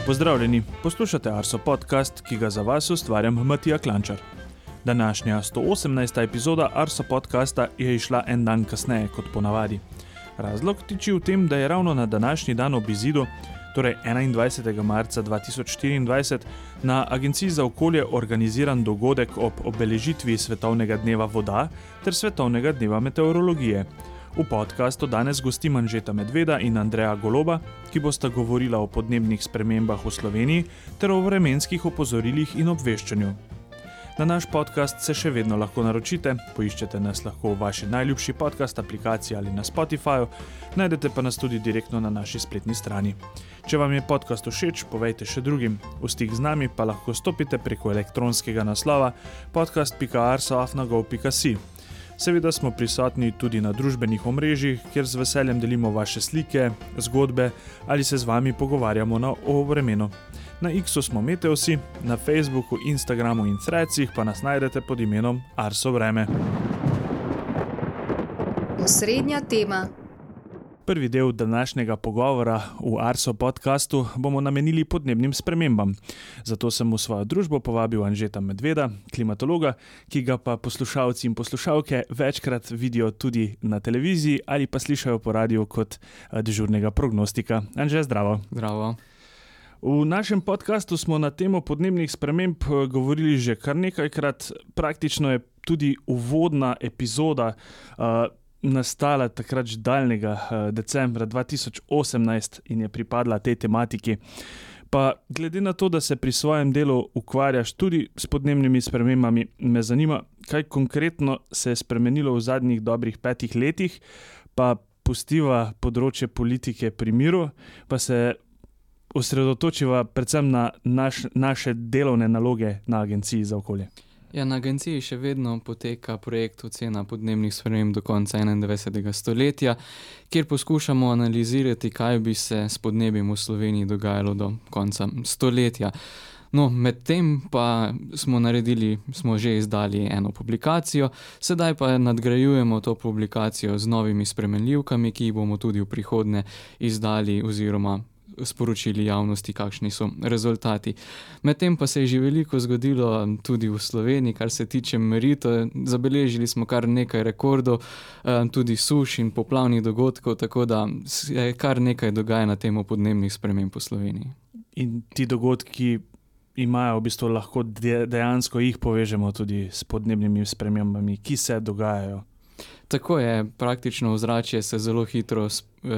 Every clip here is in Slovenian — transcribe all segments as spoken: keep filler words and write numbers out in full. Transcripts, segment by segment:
Pozdravljeni, poslušate Arso podcast, ki ga za vas ustvarjam Matija Klančar. Današnja sto osemnajsta epizoda Arso podcasta je išla en dan kasneje kot ponavadi. Razlog tiči v tem, da je ravno na današnji dan ob izidu, torej enaindvajsetega marca dva tisoč štiriindvajset, na Agenciji za okolje organiziran dogodek ob obeležitvi Svetovnega dneva voda ter Svetovnega dneva meteorologije. V podcastu danes gostim Anžeta Medveda in Andreja Goloba, ki bosta govorila o podnebnih spremembah v Sloveniji ter o vremenskih opozorilih in obveščanju. Na naš podcast se še vedno lahko naročite, poiščete nas lahko v vaši najljubši podcast aplikaciji ali na Spotifyju, najdete pa nas tudi direktno na naši spletni strani. Če vam je podcast všeč, povejte še drugim. V stik z nami pa lahko stopite preko elektronskega naslova podcast pika arso afna gov pika si. Seveda smo prisotni tudi na družbenih omrežjih, kjer z veseljem delimo vaše slike, zgodbe ali se z vami pogovarjamo na o vremenu. Na X-u smo Meteosi, na Facebooku, Instagramu in Threadsih pa nas najdete pod imenom Arso vreme. Osrednja tema. Prvi del današnjega pogovora v Arso podcastu bomo namenili podnebnim spremembam. Zato sem v svojo družbo povabil Anžeta Medveda, klimatologa, ki ga pa poslušalci in poslušalke večkrat vidijo tudi na televiziji ali pa slišajo po radiju kot dežurnega prognostika. Anže, zdravo. Zdravo. V našem podcastu smo na temo podnebnih sprememb govorili že kar nekajkrat. Praktično je tudi uvodna epizoda uh, nastala takrat že daljnega uh, decembra dva tisoč osemnajst in je pripadla tej tematiki. Pa glede na to, da se pri svojem delu ukvarjaš tudi s podnebnimi spremembami, me zanima, kaj konkretno se je spremenilo v zadnjih dobrih petih letih, pa pustiva področje politike pri miru, pa se osredotočiva predvsem na naš, naše delovne naloge na Agenciji za okolje. Ja, na agenciji še vedno poteka projekt ocena podnebnih sprememb do konca enaindvajsetega stoletja, kjer poskušamo analizirati, kaj bi se s podnebjem v Sloveniji dogajalo do konca stoletja. No, medtem pa smo naredili, smo že izdali eno publikacijo, sedaj pa nadgrajujemo to publikacijo z novimi spremenljivkami, ki jih bomo tudi v prihodnje izdali oziroma sporočili javnosti, kakšni so rezultati. Medtem pa se je že veliko zgodilo tudi v Sloveniji, kar se tiče meritev. Zabeležili smo kar nekaj rekordov, tudi suš in poplavnih dogodkov, tako da se kar nekaj dogaja na temo podnebnih sprememb v Sloveniji. In ti dogodki imajo v bistvu lahko dejansko jih povežemo tudi s podnebnimi spremembami, ki se dogajajo. Tako je, praktično ozračje se zelo hitro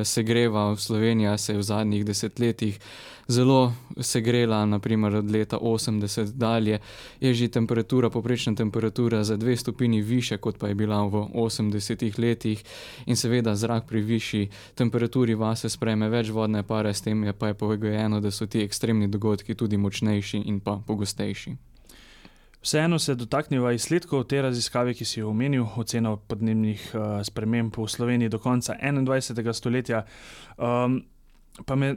segreva. V Sloveniji se je v zadnjih desetletjih zelo segrela, naprimer od leta osemdeset dalje je že temperatura, povprečna temperatura za dve stopinji više, kot pa je bila v osemdesetih letih, in seveda zrak pri višji temperaturi vase sprejme več vodne pare, s tem je pa je pogojeno, da so ti ekstremni dogodki tudi močnejši in pa pogostejši. Vseeno se dotakneva izsledkov te raziskave, ki si jo omenil, ocena podnebnih uh, sprememb v Sloveniji do konca enaindvajsetega stoletja. Um, pa me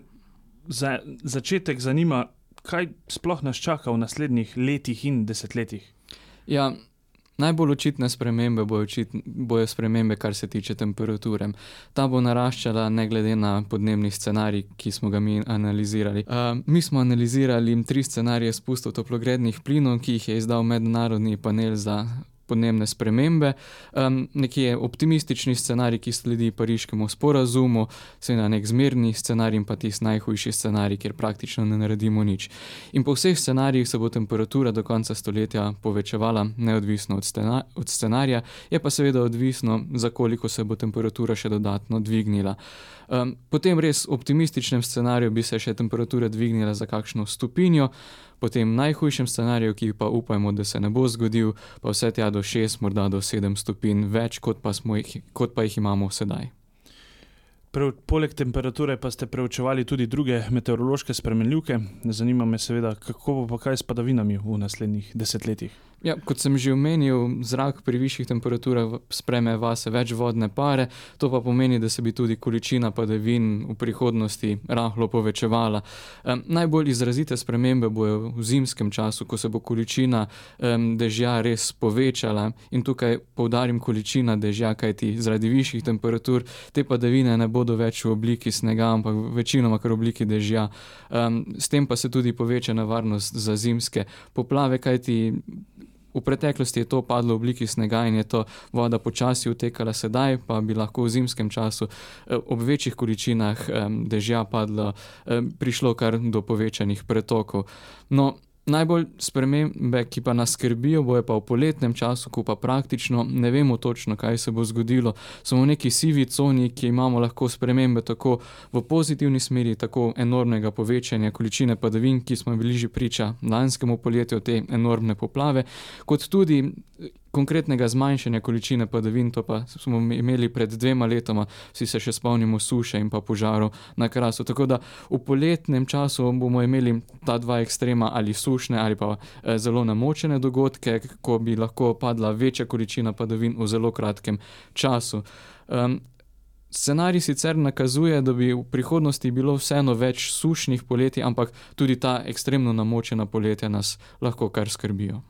za začetek zanima, kaj sploh nas čaka v naslednjih letih in desetletjih? Ja, najbolj očitne spremembe bojo, očitne, bojo spremembe, kar se tiče temperature. Ta bo naraščala ne glede na podnebni scenarij, ki smo ga mi analizirali. Uh, mi smo analizirali tri scenarije spustov toplogrednih plinov, ki jih je izdal Mednarodni panel za podnebne spremembe. Um, nekje optimistični scenarij, ki sledi Pariškemu sporazumu, seveda nek zmerni scenarij in pa tisti najhujši scenarij, kjer praktično ne naredimo nič. In po vseh scenarijih se bo temperatura do konca stoletja povečevala, neodvisno od, scena, od scenarija, je pa seveda odvisno, za koliko se bo temperatura še dodatno dvignila. Um, potem res v optimističnem scenariju bi se še temperatura dvignila za kakšno stopinjo, potem v najhujšem scenariju, ki pa upajmo, da se ne bo zgodil, pa vse tja do šest, morda do sedem stopinj več, kot pa, smo jih, kot pa jih imamo sedaj. Pre, poleg temperature pa ste preučevali tudi druge meteorološke spremenljivke. Zanima me seveda, kako bo pa kaj s padavinami v naslednjih desetletjih. Ja, kot sem že omenil, zrak pri višjih temperaturah sprejme vase več vodne pare, to pa pomeni, da se bi tudi količina padavin v prihodnosti rahlo povečevala. Um, najbolj izrazite spremembe bojo v zimskem času, ko se bo količina um, dežja res povečala, in tukaj poudarim količina dežja, kajti zaradi višjih temperatur te padavine ne bodo več v obliki snega, ampak večinoma kar v obliki dežja. Um, s tem pa se tudi poveča nevarnost za zimske poplave, kajti v preteklosti je to padlo v obliki snega in je to voda počasi utekala, sedaj pa bi lahko v zimskem času ob večjih količinah dežja padlo, prišlo kar do povečanih pretokov. No, najbolj spremembe, ki pa nas skrbijo, bojo pa v poletnem času, ko pa praktično ne vemo točno, kaj se bo zgodilo. Smo v neki sivi coni, ki imamo lahko spremembe tako v pozitivni smeri, tako enormnega povečanja količine padavin, ki smo bili že priča lanskemu poletju, te enormne poplave, kot tudi konkretnega zmanjšanja količine padavin, to pa smo imeli pred dvema letoma, vsi se še spomnimo suše in pa požarov na Krasu. Tako da v poletnem času bomo imeli ta dva ekstrema, ali sušne ali pa eh, zelo namočene dogodke, ko bi lahko padla večja količina padavin v zelo kratkem času. Um, Scenarij sicer nakazuje, da bi v prihodnosti bilo vseeno več sušnih poletij, ampak tudi ta ekstremno namočena poletja nas lahko kar skrbijo.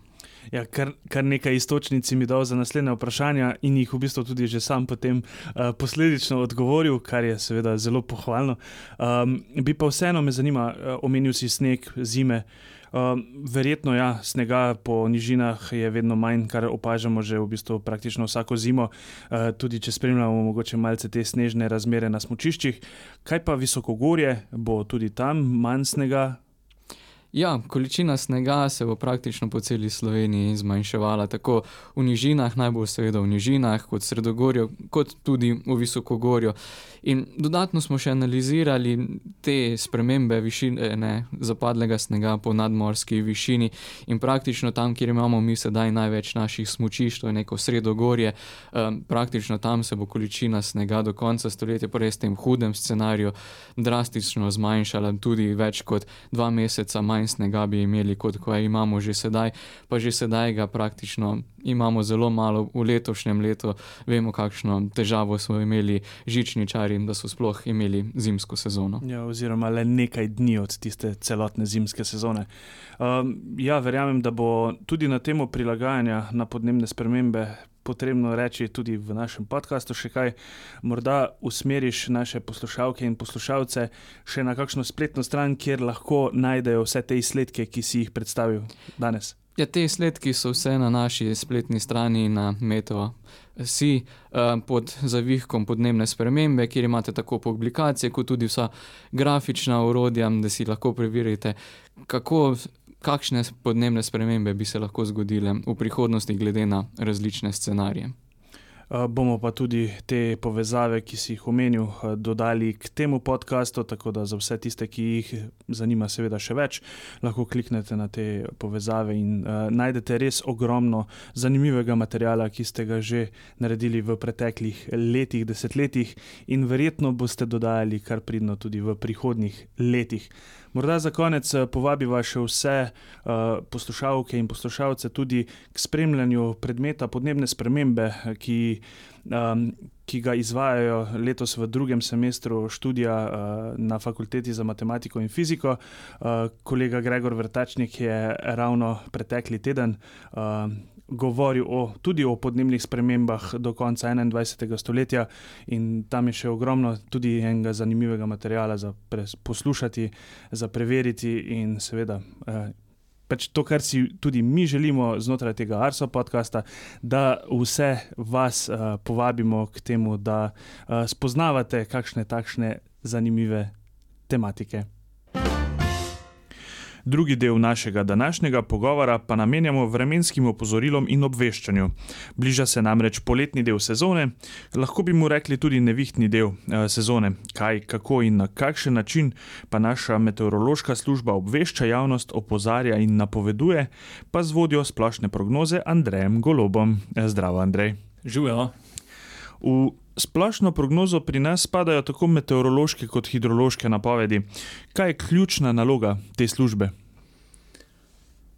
Ja, kar, kar nekaj istočnic mi dal za naslednje vprašanja in jih v bistvu tudi že sam potem uh, posledično odgovoril, kar je seveda zelo pohvalno. Um, bi pa vseeno me zanima, uh, omenil si sneg, zime. Uh, verjetno ja, snega po nižinah je vedno manj, kar opažamo že v bistvu praktično vsako zimo, uh, tudi če spremljamo mogoče malce te snežne razmere na smučiščih. Kaj pa visokogorje, bo tudi tam manj snega? Ja, količina snega se bo praktično po celi Sloveniji zmanjševala, tako v nižinah, najbolj seveda v nižinah, kot sredogorju, kot tudi v visokogorju. In dodatno smo še analizirali te spremembe višine zapadlega snega po nadmorski višini in praktično tam, kjer imamo mi sedaj največ naših smučišč, to je neko sredogorje, um, praktično tam se bo količina snega do konca stoletja po res tem hudem scenariju drastično zmanjšala, tudi več kot dva meseca manj snega bi imeli, kot ko imamo že sedaj, pa že sedaj ga praktično imamo zelo malo. V letošnjem letu vemo, kakšno težavo smo imeli žičničari, da so sploh imeli zimsko sezono. Ja, oziroma le nekaj dni od tiste celotne zimske sezone. Um, ja, verjamem, da bo tudi na temo prilagajanja na podnebne spremembe potrebno reči tudi v našem podcastu še kaj. Morda usmeriš naše poslušalke in poslušalce še na kakšno spletno stran, kjer lahko najdejo vse te izsledke, ki si jih predstavil danes. Ja, te izsledki so vse na naši spletni strani na Meteo si pod zavihkom podnebne spremembe, kjer imate tako publikacije, kot tudi vsa grafična orodja, da si lahko preverite, kako kakšne podnebne spremembe bi se lahko zgodile v prihodnosti glede na različne scenarije. Uh, bomo pa tudi te povezave, ki si jih omenil, uh, dodali k temu podcastu, tako da za vse tiste, ki jih zanima seveda še več, lahko kliknete na te povezave in uh, najdete res ogromno zanimivega materiala, ki ste ga že naredili v preteklih letih, desetletjih in verjetno boste dodajali kar pridno tudi v prihodnjih letih. Morda za konec povabiva še vse uh, poslušalke in poslušalce tudi k spremljanju predmeta podnebne spremembe, ki, um, ki ga izvajajo letos v drugem semestru študija uh, na Fakulteti za matematiko in fiziko. Uh, kolega Gregor Vrtačnik je ravno pretekli teden uh, govoril o, tudi o podnebnih spremembah do konca enaindvajsetega stoletja in tam je še ogromno tudi enega zanimivega materiala za pres, poslušati, za preveriti in seveda eh, pač to, kar si tudi mi želimo znotraj tega Arso podcasta, da vse vas eh, povabimo k temu, da eh, spoznavate kakšne takšne zanimive tematike. Drugi del našega današnjega pogovora pa namenjamo vremenskim opozorilom in obveščanju. Bliža se namreč poletni del sezone, lahko bi mu rekli tudi nevihtni del eh, sezone. Kaj, kako in na kakšen način pa naša meteorološka služba obvešča javnost, opozarja in napoveduje, pa z vodjo splošne prognoze Andrejem Golobom. Zdravo, Andrej. Živijo. V splošno prognozo pri nas spadajo tako meteorološke kot hidrološke napovedi. Kaj je ključna naloga te službe?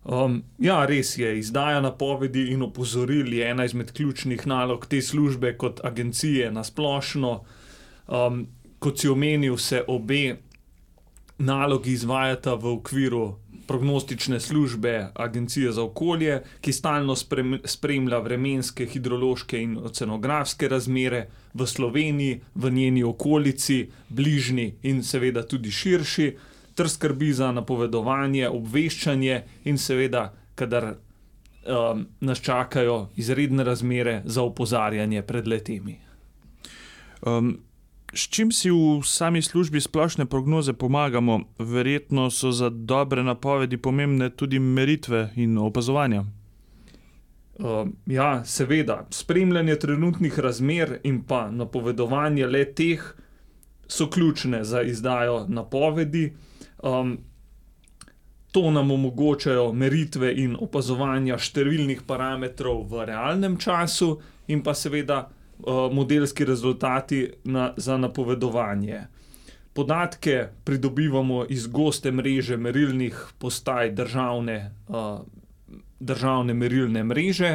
Um, ja, res je. Izdaja napovedi in opozoril je ena izmed ključnih nalog te službe kot agencije na splošno. Um, kot si omenil, se obe nalogi izvajata v okviru prognostične službe Agencije za okolje, ki stalno spremlja vremenske, hidrološke in oceanografske razmere v Sloveniji, v njeni okolici, bližnji in seveda tudi širši, ter skrbi za napovedovanje, obveščanje in seveda, kadar um, nas čakajo izredne razmere, za opozarjanje pred letemi. Um, s čim si v sami službi splošne prognoze pomagamo? Verjetno so za dobre napovedi pomembne tudi meritve in opazovanja. Uh, ja, seveda. Spremljanje trenutnih razmer in pa napovedovanje le teh so ključne za izdajo napovedi. Um, to nam omogočajo meritve in opazovanja številnih parametrov v realnem času in pa seveda uh, modelski rezultati na, za napovedovanje. Podatke pridobivamo iz goste mreže merilnih postaj državne, uh, državne merilne mreže.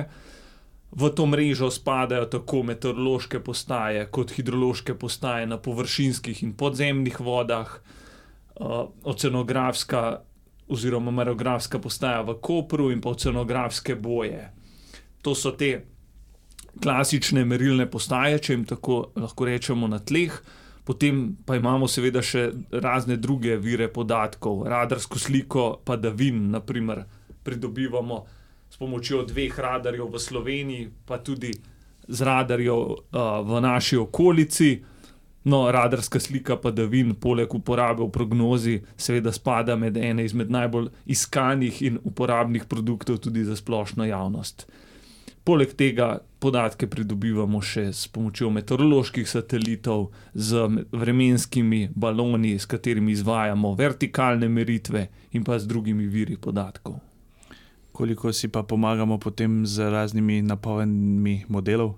V to mrežo spadajo tako meteorološke postaje kot hidrološke postaje na površinskih in podzemnih vodah, Uh, oceanografska oziroma meteorografska postaja v Kopru in pa oceanografske boje. To so te klasične merilne postaje, če jim tako lahko rečemo, na tleh. Potem pa imamo seveda še razne druge vire podatkov. Radarsko sliko padavin, na primer, pridobivamo s pomočjo dveh radarjev v Sloveniji, pa tudi z radarjev uh, v naši okolici. No, radarska slika padavin, poleg uporabe v prognozi, seveda spada med ene izmed najbolj iskanih in uporabnih produktov tudi za splošno javnost. Poleg tega podatke pridobivamo še s pomočjo meteoroloških satelitov, z vremenskimi baloni, s katerimi izvajamo vertikalne meritve in pa z drugimi viri podatkov. Koliko si pa pomagamo potem z raznimi napovedmi modelov?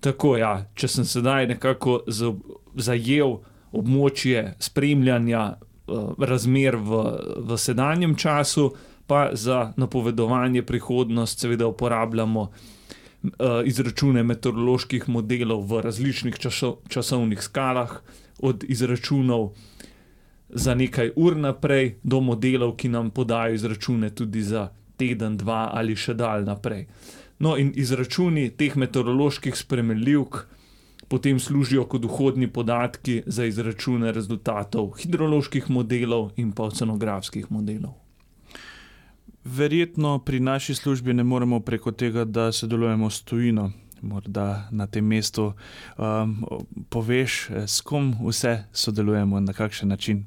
Tako, ja, če sem sedaj nekako zajel območje spremljanja uh, razmer v, v sedanjem času, pa za napovedovanje prihodnost seveda uporabljamo uh, izračune meteoroloških modelov v različnih časo, časovnih skalah, od izračunov za nekaj ur naprej do modelov, ki nam podajo izračune tudi za teden, dva ali še dalj naprej. No, in izračuni teh meteoroloških spremenljivk potem služijo kot vhodni podatki za izračune rezultatov hidroloških modelov in pa oceanografskih modelov. Verjetno pri naši službi ne moremo preko tega, da sodelujemo s tujino. Morda na tem mestu um, poveš, s kom vse sodelujemo, na kakšen način?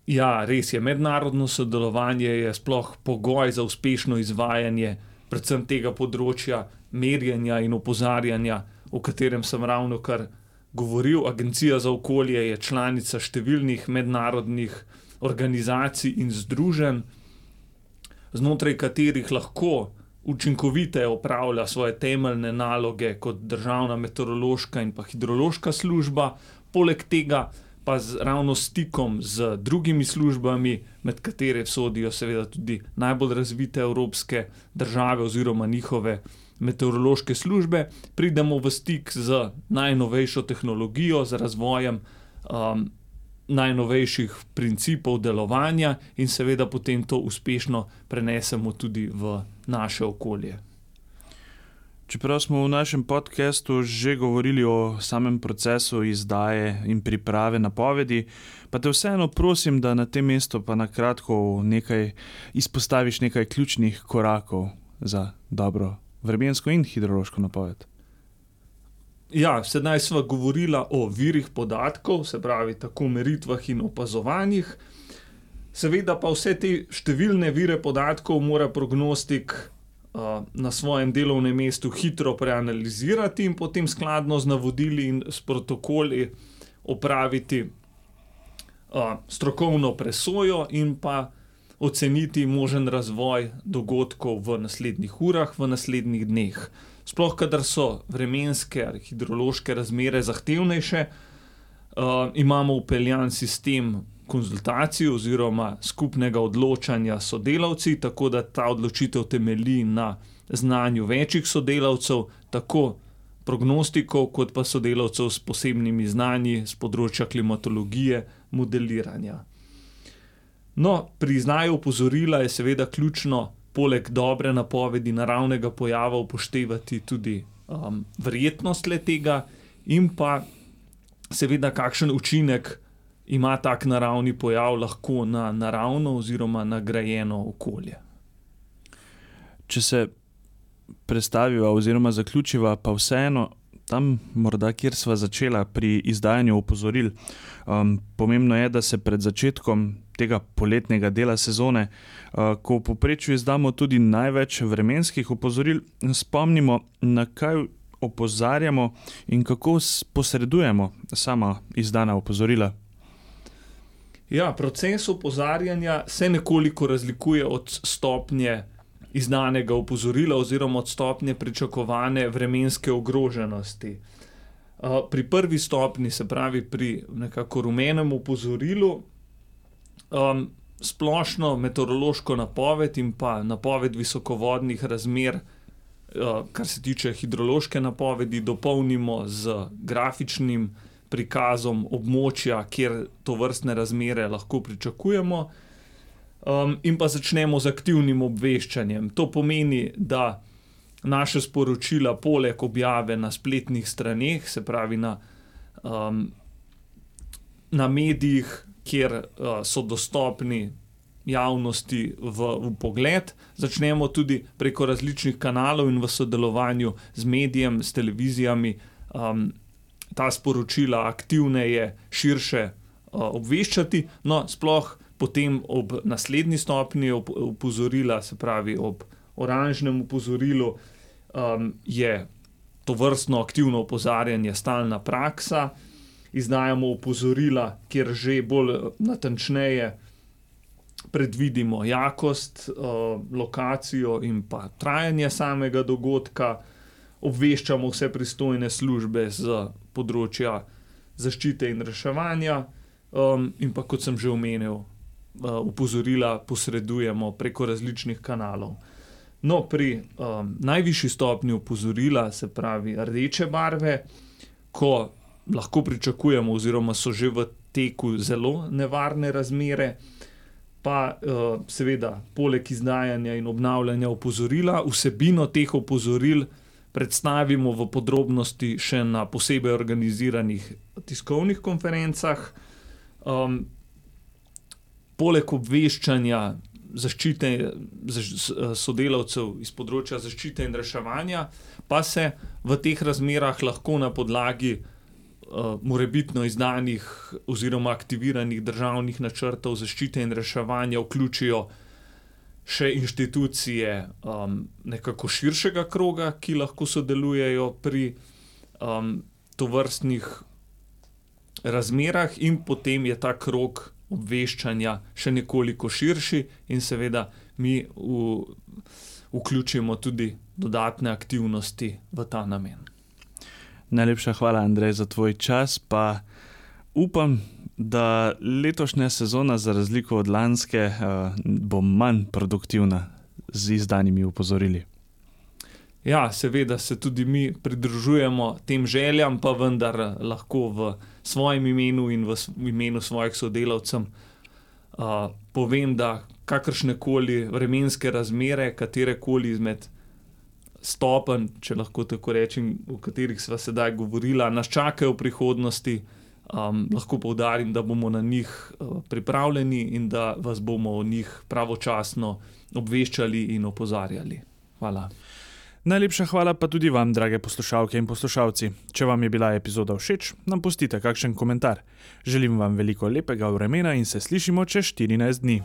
Ja, res je. Mednarodno sodelovanje je sploh pogoj za uspešno izvajanje predvsem tega področja merjenja in opozarjanja, o katerem sem ravno kar govoril. Agencija za okolje je članica številnih mednarodnih organizacij in združenj, znotraj katerih lahko učinkoviteje opravlja svoje temeljne naloge kot državna meteorološka in pa hidrološka služba, poleg tega pa z ravno stikom z drugimi službami, med katere sodijo seveda tudi najbolj razvite evropske države oziroma njihove meteorološke službe, pridemo v stik z najnovejšo tehnologijo, z razvojem um, najnovejših principov delovanja in seveda potem to uspešno prenesemo tudi v naše okolje. Čeprav smo v našem podcastu že govorili o samem procesu izdaje in priprave napovedi, pa te vseeno prosim, da na tem mestu pa na kratko nekaj izpostaviš nekaj ključnih korakov za dobro vremensko in hidrološko napoved. Ja, sedaj sva govorila o virih podatkov, se pravi tako meritvah in opazovanjih. Seveda pa vse te številne vire podatkov mora prognostik na svojem delovnem mestu hitro preanalizirati in potem skladno z navodili in s protokoli opraviti uh, strokovno presojo in pa oceniti možen razvoj dogodkov v naslednjih urah, v naslednjih dneh. Sploh, kadar so vremenske ali hidrološke razmere zahtevnejše, uh, imamo vpeljan sistem konzultacij oziroma skupnega odločanja s sodelavci, tako da ta odločitev temelji na znanju večjih sodelavcev, tako prognostikov kot pa sodelavcev s posebnimi znanji z področja klimatologije, modeliranja. No, pri znaju opozorila je seveda ključno poleg dobre napovedi naravnega pojava upoštevati tudi um, verjetnost le-tega in pa seveda kakšen učinek ima tak naravni pojav lahko na naravno oziroma nagrajeno okolje. Če se prestaviva oziroma zaključiva, pa vseeno tam morda, kjer sva začela pri izdajanju opozoril. Um, pomembno je, da se pred začetkom tega poletnega dela sezone, uh, ko v povprečju izdamo tudi največ vremenskih opozoril, spomnimo, na kaj opozarjamo in kako posredujemo sama izdana opozorila. Ja, proces opozarjanja se nekoliko razlikuje od stopnje izdanega opozorila oziroma od stopnje pričakovane vremenske ogroženosti. Pri prvi stopni, se pravi pri nekako rumenem opozorilu, um, splošno meteorološko napoved in pa napoved visokovodnih razmer, uh, kar se tiče hidrološke napovedi, dopolnimo z grafičnim prikazom območja, kjer tovrstne razmere lahko pričakujemo. Um, in pa začnemo z aktivnim obveščanjem. To pomeni, da naše sporočila poleg objave na spletnih straneh, se pravi na, um, na medijih, kjer uh, so dostopni javnosti v, v pogled, začnemo tudi preko različnih kanalov in v sodelovanju z medijem, s televizijami, um, ta sporočila aktivneje, širše uh, obveščati, no sploh potem ob naslednji stopnji opozorila, se pravi ob oranžnem opozorilu, um, je tovrstno aktivno opozarjanje stalna praksa. Izdajamo opozorila, kjer že bolj natančneje predvidimo jakost, uh, lokacijo in pa trajanje samega dogodka. Obveščamo vse pristojne službe z področja zaščite in reševanja um, in pa, kot sem že omenil, opozorila posredujemo preko različnih kanalov. No, pri um, najvišji stopnji opozorila, se pravi rdeče barve, ko lahko pričakujemo oziroma so že v teku zelo nevarne razmere, pa uh, seveda poleg izdajanja in obnavljanja opozorila, vsebino teh opozoril predstavimo v podrobnosti še na posebej organiziranih tiskovnih konferencah. Um, Poleg obveščanja zaščite sodelavcev iz področja zaščite in reševanja, pa se v teh razmerah lahko na podlagi uh, morebitno izdanih oziroma aktiviranih državnih načrtov zaščite in reševanja vključijo še inštitucije um, nekako širšega kroga, ki lahko sodelujejo pri um, tovrstnih razmerah in potem je ta krog obveščanja še nekoliko širši in seveda mi v, vključimo tudi dodatne aktivnosti v ta namen. Najlepša hvala, Andrej, za tvoj čas, pa upam, da letošnja sezona za razliko od lanske uh, bo manj produktivna z izdanimi opozorili. Ja, seveda se tudi mi pridružujemo tem željam, pa vendar lahko v svojem imenu in v imenu svojih sodelavcev uh, povem, da kakršnekoli vremenske razmere, katerekoli izmed stopenj, če lahko tako rečem, o katerih sva sedaj govorila, nas čakajo v prihodnosti, um, lahko poudarim, da bomo na njih uh, pripravljeni in da vas bomo o njih pravočasno obveščali in opozarjali. Hvala. Najlepša hvala pa tudi vam, drage poslušalke in poslušalci. Če vam je bila epizoda všeč, nam pustite kakšen komentar. Želim vam veliko lepega vremena in se slišimo čez štirinajst dni.